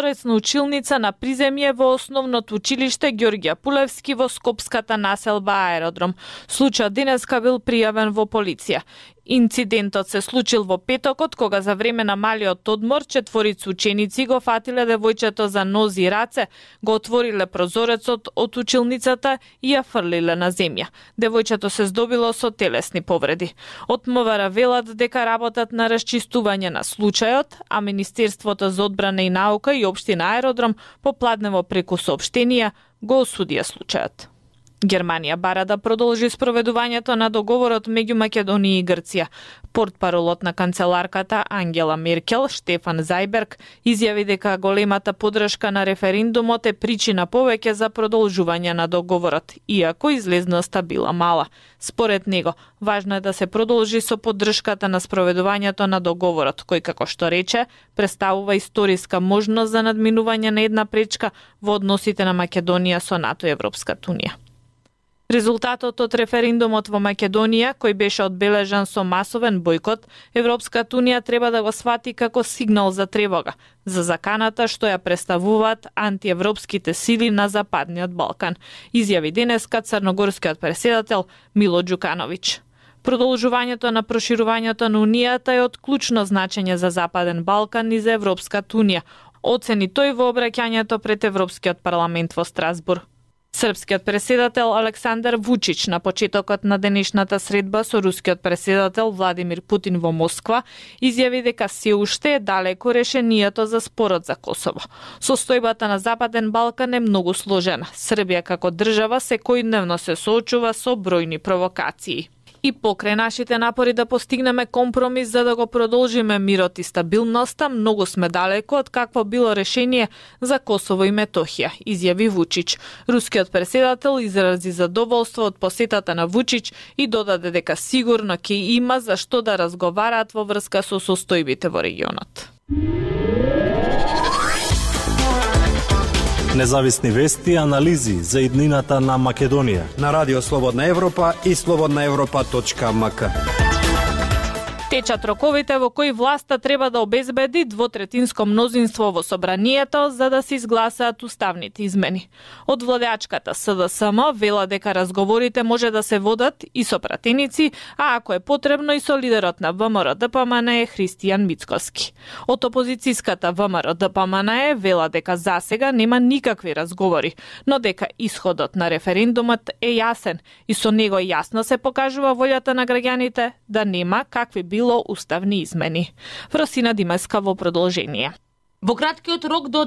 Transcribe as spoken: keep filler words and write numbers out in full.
Рецна училница на приземје во основното училиште Ѓорѓе Пулевски во скопската населба Аеродром. Случајот денеска бил пријавен во полиција. Инцидентот се случил во петокот, кога за време на малиот одмор четворица ученици го фатиле девојчето за нози и раце, го отвориле прозорецот од училницата и ја фрлиле на земја. Девојчето се здобило со телесни повреди. Од МВР велат дека работат на расчистување на случајот, а Министерството за одбрана и наука и Општина Аеродром попладнево преку соопштенија го осудија случајот. Германија бара да продолжи спроведувањето на договорот меѓу Македонија и Грција. Портпаролот на канцеларката Ангела Меркел, Штефан Зајберг, изјави дека големата поддршка на референдумот е причина повеќе за продолжување на договорот, иако излезноста била мала. Според него, важно е да се продолжи со поддршката на спроведувањето на договорот, кој, како што рече, представува историска можност за надминување на една пречка во односите на Македонија со НАТО и Европската унија. Резултатот од референдумот во Македонија, кој беше одбележан со масовен бојкот, Европската унија треба да го свати како сигнал за тревога, за заканата што ја представуваат антиевропските сили на Западниот Балкан, изјави денеска црногорскиот преседател Мило Џукановиќ. Продолжувањето на проширувањето на Унијата е од клучно значење за Западен Балкан и за Европската унија, оцени тој во обраќањето пред Европскиот парламент во Страсбург. Српскиот преседател Александар Вучич на почетокот на денешната средба со рускиот преседател Владимир Путин во Москва изјави дека се уште е далеко решението за спорот за Косово. Состојбата на Западен Балкан е многу сложена. Србија како држава секојдневно се соочува со бројни провокации. И покрај нашите напори да постигнеме компромис за да го продолжиме мирот и стабилноста, многу сме далеко од какво било решение за Косово и Метохија, изјави Вучич. Рускиот преседател изрази задоволство од посетата на Вучич и додаде дека сигурно ќе има за што да разговараат во врска со состојбите во регионот. Независни вести и анализи за иднината на Македонија на Радио Слободна Европа и слободна европа точка ем ка. Течат роковите во кои власта треба да обезбеди двотретинско мнозинство во собранието за да се изгласаат уставните измени. Од владеачката С Д С М вела дека разговорите може да се водат и со пратеници, а ако е потребно и со лидерот на В М Р Д П М Н Е Христијан Мицкоски. Од опозицијската В М Р Д П М Н Е вела дека засега нема никакви разговори, но дека исходот на референдумот е јасен и со него јасно се покажува волјата на граѓаните да нема какви било уставни измени. Вросина Димеска во продолжение. Во краткиот рок до